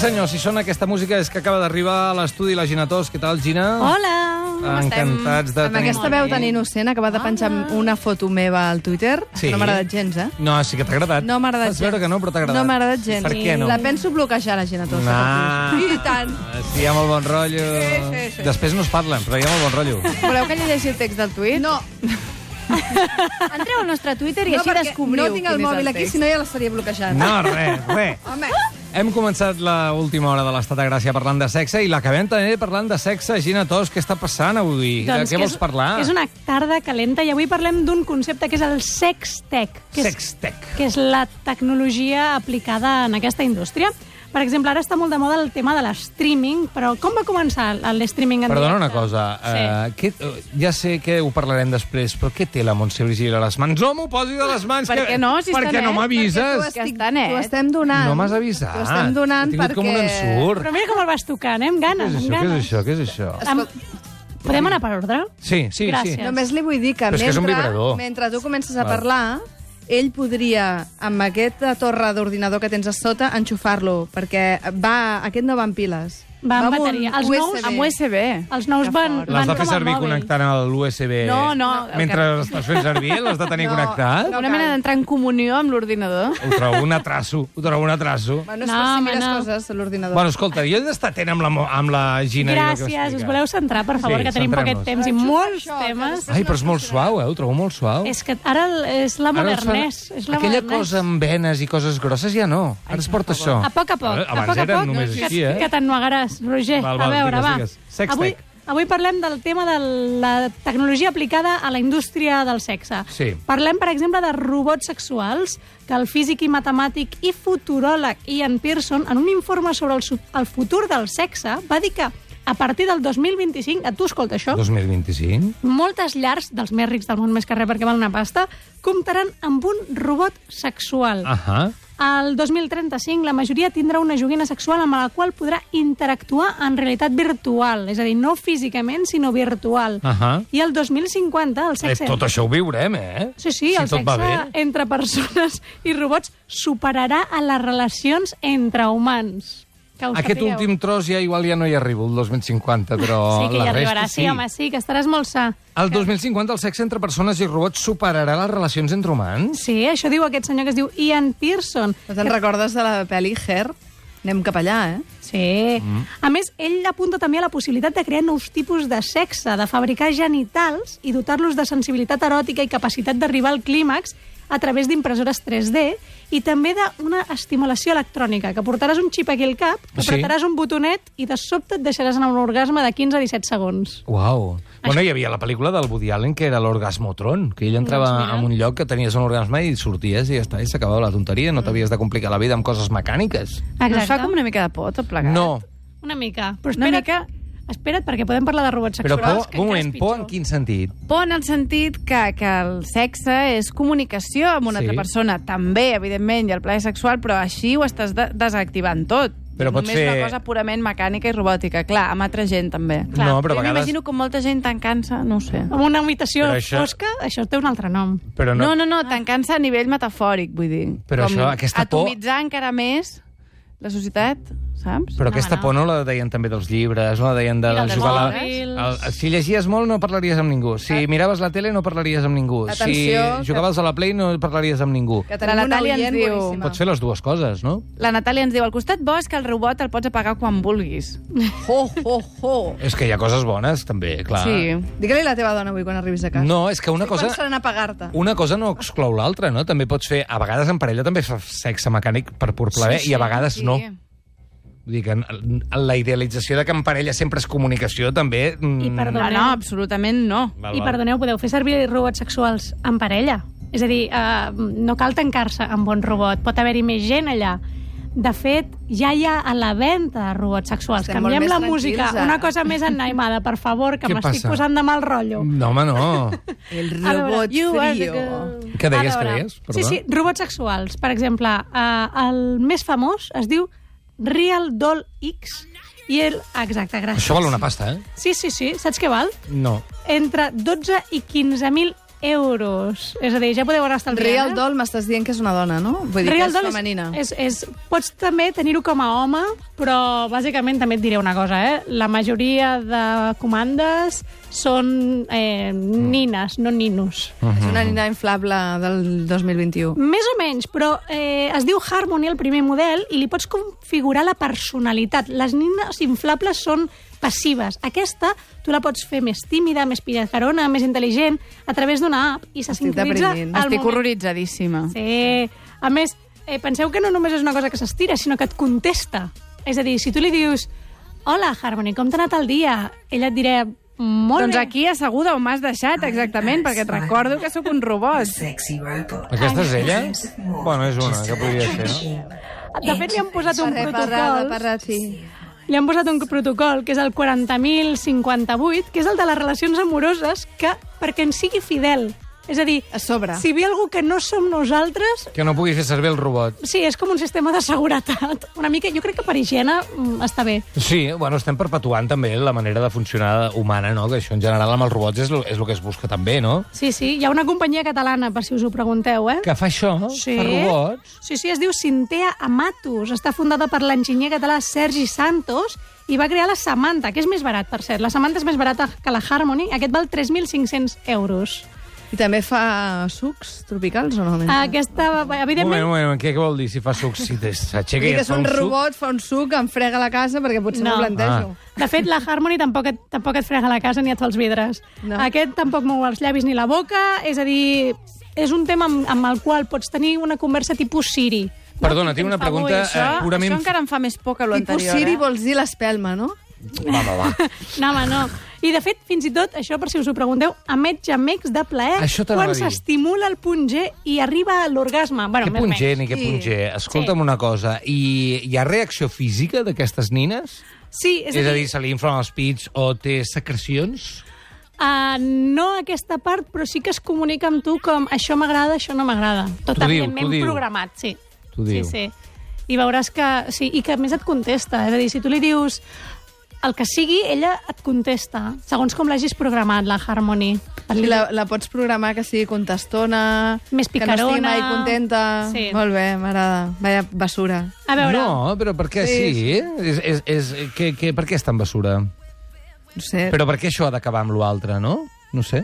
senyor, si sona aquesta música és que acaba d'arribar a l'estudi la Gina Tos. Què tal, Gina? Hola! Encantats de Amb aquesta veu tan innocent, acaba de penjar una foto meva al Twitter. Sí. No m'ha agradat gens, eh? No, sí que t'ha agradat. No m'ha agradat gens. Fas veure que no, però t'ha agradat. No m'ha agradat gens. Per què no? La penso bloquejar, la Gina Tos. I tant. Sí, hi ha molt bon rotllo. Sí. Després no es parlen, però hi ha molt bon rotllo. Voleu que llegeixi el text del tuit? No, Entreu al nostre Twitter i no, així perquè descobriu no tinc el quin és mòbil aquí, text. si no ja l'estaria bloquejant. No, res. Home, Hem començat l'última hora de l'Estat de Gràcia parlant de sexe i l'acabem també parlant de sexe. Gina Tos, què està passant avui? De què vols parlar? És una tarda calenta i avui parlem d'un concepte que és el sextech. Sextech. Que és la tecnologia aplicada en aquesta indústria. Per exemple, ara està molt de moda el tema de l'streaming, però com va començar l'streaming en Perdona una directe? cosa, ja sé que ho parlarem després, però què té la Montse Virgili a les mans? No m'ho posi de les mans! Per què no, si per està què no net? m'avises? Que està net. t'ho estem donant. No m'has avisat. T'ho estem donant He tingut com un perquè... ensurt. Però mira com el vas tocant, amb ganes, amb ganes. Què és això? Podem anar per ordre? Sí. Gràcies. Només li vull dir que Però és que és un vibrador. mentre tu comences a Val. parlar, ell podria, amb aquesta torre d'ordinador que tens a sota, enxufar-lo, perquè aquest no va amb piles. Va amb un bateria. Els USB. nous- Amb USB. Els nous van L'has de fer com el servir mòbil. connectant a l'USB No, mentre estàs fent servir? L'has de tenir No. connectat? No Una cal. mena d'entrar en comunió amb l'ordinador. Ho trobo un atraso. Bueno, és No, per si home, mires no. coses a l'ordinador. Bueno, escolta, jo he d'estar atent amb la Gina. i el que Gràcies, explica. us voleu centrar, per favor, Sí, que tenim poquet centrem-nos. temps i Enxufa molts això, que temes. després Ai, però és molt suau, ho trobo molt suau. És que ara és la Ara es fa- modernès. És la Aquella modernès. cosa amb venes i coses grosses ja no. Ara es porta això. A poc a poc. Abans a poc a era poc, només que, així, eh? que t'ennuegaràs, Roger. Val, a veure, digues. Sextech. Avui parlem del tema de la tecnologia aplicada a la indústria del sexe. Sí. Parlem, per exemple, de robots sexuals, que el físic i matemàtic i futuròleg Ian Pearson, en un informe sobre el futur del sexe, va dir que a partir del 2025, a tu escolta això, 2025? moltes llars dels més rics del món, més que res perquè val una pasta, comptaran amb un robot sexual. Ahà. Al 2035, la majoria tindrà una joguina sexual amb la qual podrà interactuar en realitat virtual, és a dir, no físicament, sinó virtual. Ahà. I el 2050, el sexe... Tot això ho viurem, eh? Sí, si el tot va sexe bé. entre persones i robots superarà a les relacions entre humans. Que ho Aquest sapigueu. últim tros igual ja no hi arribo, el 2050, però Sí que hi la arribarà, resta sí, home, sí, que estaràs molt sa. El 2050 el sexe entre persones i robots superarà les relacions entre humans? Sí, això diu aquest senyor que es diu Ian Pearson. No te'n recordes de la pel·li Her? Anem cap allà, eh? Sí. A més, ell apunta també a la possibilitat de crear nous tipus de sexe, de fabricar genitals i dotar-los de sensibilitat eròtica i capacitat d'arribar al clímax a través d'impressores 3D i també d'una estimulació electrònica, que portaràs un xip aquí al cap, Sí. apretaràs un botonet i de sobte et deixaràs anar un orgasme de 15 a 17 segons. Uau. Bueno, hi havia la pel·lícula del Woody Allen que era l'Orgasmotron, que ell entrava Doncs mira. en un lloc que tenies un orgasme i sorties i ja està, i s'acabava la tonteria, no t'havies de complicar la vida amb coses mecàniques. No us fa com una mica de por, tot plegat? No, Una mica. Però Una espera't, espera't, perquè podem parlar de robots però sexuals. por, un moment, por en quin sentit? Por en el sentit que el sexe és comunicació amb una Sí. altra persona. També, evidentment, hi ha el plaer sexual, però així ho estàs desactivant tot. Però pots Només fer- una cosa purament mecànica i robòtica. Clar, amb altra gent, també. Clar. No, però a Jo vegades... m'imagino com molta gent tancant-se, no ho sé. Amb una habitació Però això- fosca, això té un altre nom. Però No, tancant-se a nivell metafòric, vull dir. Però Com això, aquesta por- atomitzar encara més la societat, saps? Però No, aquesta no. por no la deien també dels llibres, no la deien de I dels jugar a mòbils. Si llegies molt no parlaries amb ningú. Si miraves la tele no parlaries amb ningú. Atenció, Si jugaves a la Play no parlaries amb ningú. Que tenim La una Natàlia ens oient diu- boníssima. Pots fer les dues coses, no? La Natàlia ens diu, al costat bo és que el robot el pots apagar quan vulguis. Ho. És que hi ha coses bones, també, clar. Sí. Digue-li a la teva dona avui quan arribis a casa. No, és que una cosa... Quan seran a pagar-te? Una cosa no exclou l'altra, no? També pots fer... A vegades en parella també fa sexe mecànic per pur plaer i a vegades no. Vull dir que la idealització de que en parella sempre és comunicació també... I perdó. No, absolutament no. Val, I val. perdoneu, podeu fer servir robots sexuals en parella. És a dir, no cal tancar-se amb un robot, pot haver-hi més gent allà. De fet, ja hi ha a la venda robots sexuals. Estem molt Canviem més la tranquils, música, ara. una cosa més animada, per favor, que Què m'estic passa? posant de mal rotllo. No, home, no. El A veure, robot you are the frío. girl. Què deies, A veure, què deies? Perdó. Sí, sí, robots sexuals. Per exemple, el més famós es diu Real Doll X i el... Exacte, gràcies. Això val una pasta, eh? Sí, sí, sí. Saps què val? No. Entre 12 i 15.000 euros. És a dir, ja podeu anar estalviant. Real doll m'estàs dient que és una dona, no? Vull dir Real que és doll femenina. Pots també tenir-ho com a home, però bàsicament també et diré una cosa, La majoria de comandes són nines, no ninos. És una nina inflable del 2021. Més o menys, però es diu Harmony, el primer model, i li pots configurar la personalitat. Les nines inflables són passives. Aquesta tu la pots fer més tímida, més pillacarona, més intel·ligent, a través d'una app, i se sincronitza al moment. Estic horroritzadíssima. Sí. A més, penseu que no només és una cosa que s'estira, sinó que et contesta. És a dir, si tu li dius hola, Harmony, com t'ha anat el dia? Ella et dirà molt Doncs bé. aquí asseguda on m'has deixat, exactament, perquè et recordo que sóc un robot. Aquesta és ella? Bueno, és una, que podria ser, no? De fet, li han posat un protocol. Sí. Li han posat un protocol, que és el 40.058, que és el de les relacions amoroses, que perquè ens sigui fidel. És a dir, A sobre. si ve algú que no som nosaltres, Que no pugui fer servir el robot. sí, és com un sistema de seguretat. Una mica, jo crec que per higiene està bé. Sí, bueno, estem perpetuant també la manera de funcionar humana, no? Que això en general amb els robots és el que es busca també, no? Sí, sí, hi ha una companyia catalana, per si us ho pregunteu, Que fa això, Sí. fa robots. Sí, sí, es diu Cintea Amatus. Està fundada per l'enginyer català Sergi Santos i va crear la Samantha, que és més barat, per cert. La Samantha és més barata que la Harmony. Aquest val 3.500 euros. I també fa sucs tropicals o no? Aquesta, evidentment... Un moment, què vol dir si fa suc? Si s'aixeca i que es és fa un un suc? robot, fa un suc, em frega la casa, perquè potser No. no ho plantejo. De fet, la Harmony tampoc et frega la casa ni et fa els vidres. No. Aquest tampoc mou els llavis ni la boca, és a dir, és un tema amb el qual pots tenir una conversa tipus Siri. Perdona, tinc una pregunta purament... Això encara em fa més por que Tipus l'anterior. Siri vols dir l'espelma, no? Va. No, home, no. I, de fet, fins i tot, això, per si us ho pregunteu, emet gemecs de plaer Això t'anava quan a dir. s'estimula el punt G i arriba a l'orgasme. Bueno, Què més o punt G menys. ni què Sí. punt G? Escolta'm Sí. una cosa, hi ha reacció física d'aquestes nines? Sí, És a dir, se li inflen els pits o té secrecions? no aquesta part, però sí que es comunica amb tu com això m'agrada, això no m'agrada. Tot T'ho diu, evidentment t'ho diu. programat, sí. T'ho diu. Sí, sí. I veuràs que... Sí, i que a més et contesta. És a dir, si tu li dius el que sigui, ella et contesta, segons com l'hagis programat, la Harmony. I la pots programar que sigui contestona, Més que no estigui picarona. mai contenta. Sí. Molt bé, m'agrada. Vaya basura. A veure... No, però per què sí? Per què és tan basura? No sé. Però per què això ha d'acabar amb l'altre, no? No sé.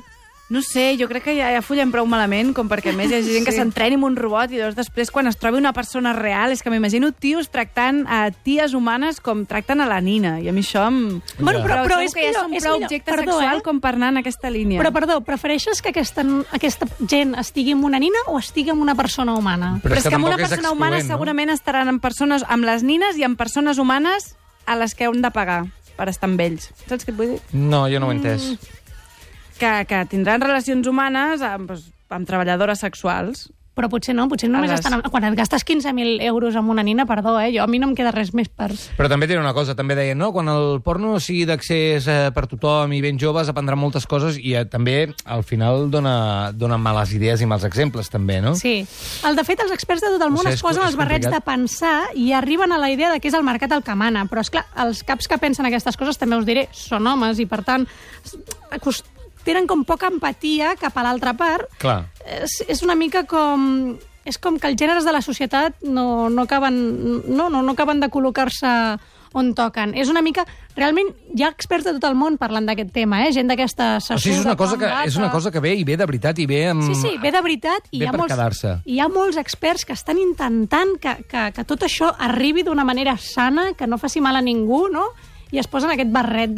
No sé, jo crec que ja follem prou malament, com perquè a més hi ha gent que s'entreni amb un robot i llavors després quan es trobi una persona real és que m'imagino tios tractant a ties humanes com tracten a la nina, i a mi això em... Bueno, però trobo és que ja millor, són és prou millor. objecte Perdó, sexual com per anar en aquesta línia. Però, perdó, prefereixes que aquesta gent estigui amb una nina o estigui amb una persona humana? Però és que amb una tampoc és persona humana excloent, no? segurament estaran amb les nines i amb persones humanes a les que hem de pagar per estar amb ells. Saps què et vull dir? No, jo no ho he entès. Que tindran relacions humanes amb treballadores sexuals. Però potser no, potser només estan... Quan et gastes 15.000 euros amb una nina, perdó, a mi no em queda res més per... Però també té una cosa, també deien, no? Quan el porno sigui d'accés per tothom i ben joves, aprendran moltes coses i també, al final, dona males idees i mals exemples, també, no? Sí. De fet, els experts de tot el món No sé, es posen és els barrets complicat. de pensar i arriben a la idea de que és el mercat el que mana. Però, esclar, els caps que pensen aquestes coses, també us diré, són homes i, per tant, tenen com poca empatia cap a l'altra part. Clar. És una mica com... És com que els gèneres de la societat no acaben de col·locar-se on toquen. És una mica... Realment, hi ha experts de tot el món parlant d'aquest tema, gent d'aquesta O sigui, és una cosa que ve i ve de veritat i ve amb... Sí, ve de veritat i Ve per quedar-se. hi ha molts experts que estan intentant que tot això arribi d'una manera sana, que no faci mal a ningú, no? I es posen aquest barret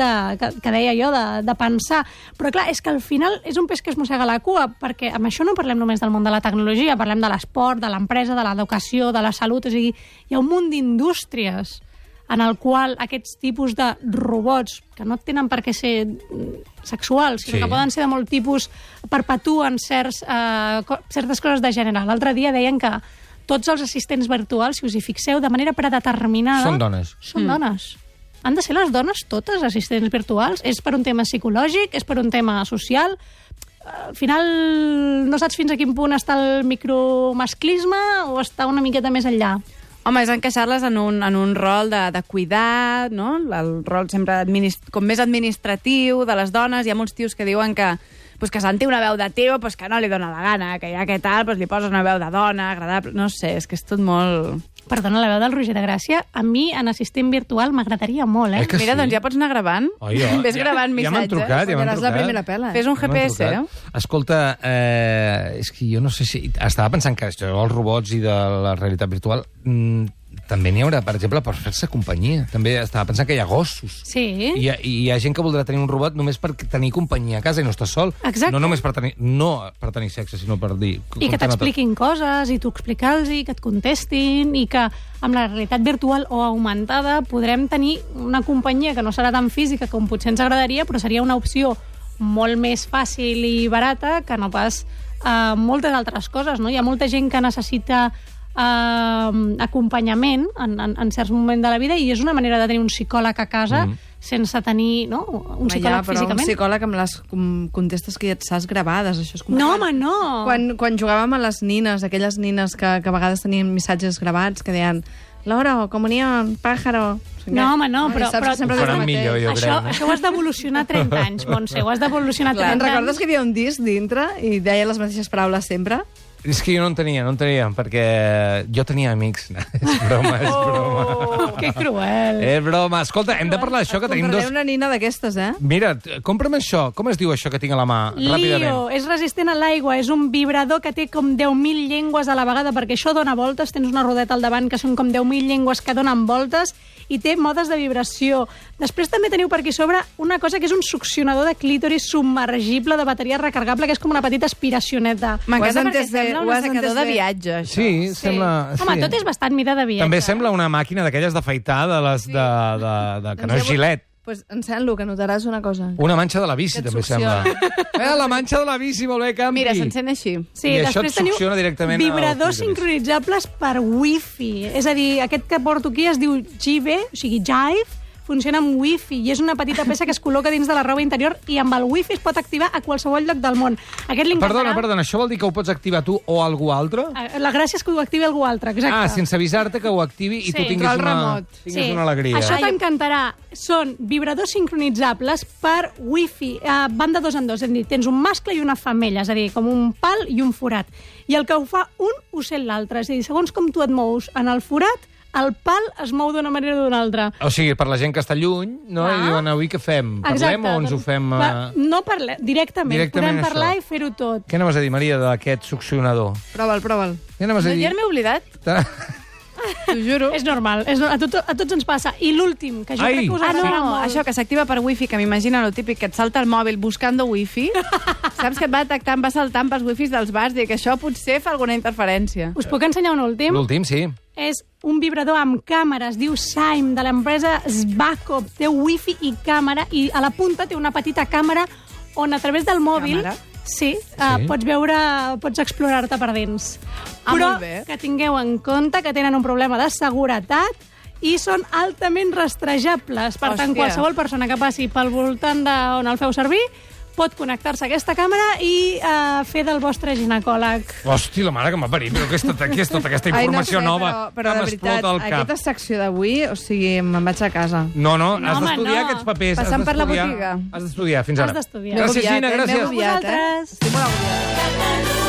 que deia jo, de pensar. Però clar, és que al final és un peix que es mossega la cua, perquè amb això no parlem només del món de la tecnologia, parlem de l'esport, de l'empresa, de l'educació, de la salut, és a dir, hi ha un munt d'indústries en el qual aquests tipus de robots, que no tenen per què ser sexuals, sinó que poden ser de molt tipus, perpetuen certes coses de gènere. L'altre dia deien que tots els assistents virtuals, si us hi fixeu, de manera predeterminada... Són dones. Són dones. Han de ser les dones totes assistents virtuals? És per un tema psicològic? És per un tema social? Al final no saps fins a quin punt està el micromasclisme o està una miqueta més enllà? Home, és encaixar-les en un rol de cuidar, no? El rol sempre com més administratiu de les dones. Hi ha molts tios que diuen que sentir una veu de tio, que no li dona la gana, que ja que tal, li poses una veu de dona, agradable... No sé, és que és tot molt... Perdona, la veu del Roger de Gràcia, a mi, en assistent virtual, m'agradaria molt, eh? Mira, doncs ja pots anar gravant. Ves gravant missatges. Ja m'han trucat, Seràs la primera pela. Fes un GPS, eh? Escolta, és que jo no sé si... Estava pensant que això dels robots i de la realitat virtual... també n'hi haurà, per exemple, per fer-se companyia. També estava pensant que hi ha gossos. Sí. I hi ha gent que voldrà tenir un robot només per tenir companyia a casa i no estar sol. Exacte. No només per tenir sexe, sinó per dir... I que t'expliquin coses, i tu explica'ls, i que et contestin, i que amb la realitat virtual o augmentada podrem tenir una companyia que no serà tan física com potser ens agradaria, però seria una opció molt més fàcil i barata que no pas moltes altres coses, no? Hi ha molta gent que necessita acompanyament en certs moments de la vida i és una manera de tenir un psicòleg a casa sense tenir un psicòleg físicament. Un psicòleg amb les contestes que ja et saps gravades, això és com... No, home, no! Quan jugàvem a les nines, aquelles nines que a vegades tenien missatges gravats que deien Loro, comunión, pájaro... No, home, no, però millor, jo crec. Això ho has d'evolucionar 30 anys, Montse, ho has d'evolucionar 30 anys. Recordes que hi havia un disc dintre i deia les mateixes paraules sempre? És que jo no en tenia, perquè jo tenia amics. És broma. Que cruel. És broma. Escolta, hem de parlar d'això, que tenim dos... Compraré una nina d'aquestes, eh? Mira, compra'm això. Com es diu això que tinc a la mà? Ràpidament. Lio, és resistent a l'aigua, és un vibrador que té com 10.000 llengües a la vegada, perquè això dona voltes, tens una rodeta al davant que són com 10.000 llengües que donen voltes i té modes de vibració. Després també teniu per aquí sobre una cosa que és un succionador de clítoris submergible de bateria recargable, que és com una petita aspiracioneta. M'encanta perquè sembla un assecador de viatge, això. Sí, sembla... Home, tot és bastant mida de viatge. També sembla una màquina d'aquelles d'afaitar, que no és gilet. Pues encén-lo, que notaràs una cosa. Una manxa de la bici, també sembla. La manxa de la bici, molt bé, Campi. Mira, s'encén així. Sí, i això et succiona directament vibradors sincronitzables per Wi-Fi. És a dir, aquest que porto aquí es diu Jive, o sigui, Jive, funciona amb Wi-Fi i és una petita peça que es col·loca dins de la roba interior i amb el Wi-Fi es pot activar a qualsevol lloc del món. Aquest Perdona, això vol dir que ho pots activar tu o algú altre? La gràcia és que ho activi algú altre, exacte. Sense avisar-te que ho activi i tu tinguis una alegria. Això t'encantarà. Són vibradors sincronitzables per Wi-Fi. Van de 2 en 2, és a dir, tens un mascle i una femella, és a dir, com un pal i un forat. I el que ho fa un ho sent l'altre. És a dir, segons com tu et mous en el forat, el pal es mou d'una manera o d'una altra. O sigui, per la gent que està lluny, no? I diuen, avui què fem? Parlem o ens ho fem... No parlem, directament. Podem parlar i fer-ho tot. Què anaves a dir, Maria, d'aquest succionador? Prova'l. Què anaves a dir? Ja m'he oblidat. T'ho juro. És normal, a tots ens passa. I l'últim, que jo crec que us agradarà molt. Això que s'activa per Wi-Fi, que m'imagina el típic que et salta el mòbil buscando Wi-Fi. Saps que et va detectant, va saltant pels Wi-Fis dels bars, i que això potser fa alguna interferència. Us puc ensenyar un últim? L'últim, sí. És un vibrador amb càmera, es diu Saim, de l'empresa Svakov. Té Wi-Fi i càmera, i a la punta té una petita càmera on a través del mòbil... Sí, pots explorar-te per dins. Però que tingueu en compte que tenen un problema de seguretat i són altament rastrejables. Per tant, qualsevol persona que passi pel voltant d'on el feu servir pot connectar-se a aquesta càmera i fer del vostre ginecòleg. Hosti, la mare que m'ha parit, però què és tota aquesta informació nova? Però de veritat, aquesta secció d'avui, o sigui, me'n vaig a casa. No, has d'estudiar aquests papers. Passant per la botiga. Has d'estudiar, fins ara. Has d'estudiar. Gràcies, Gina, gràcies. Vosaltres. Estic molt agobiada.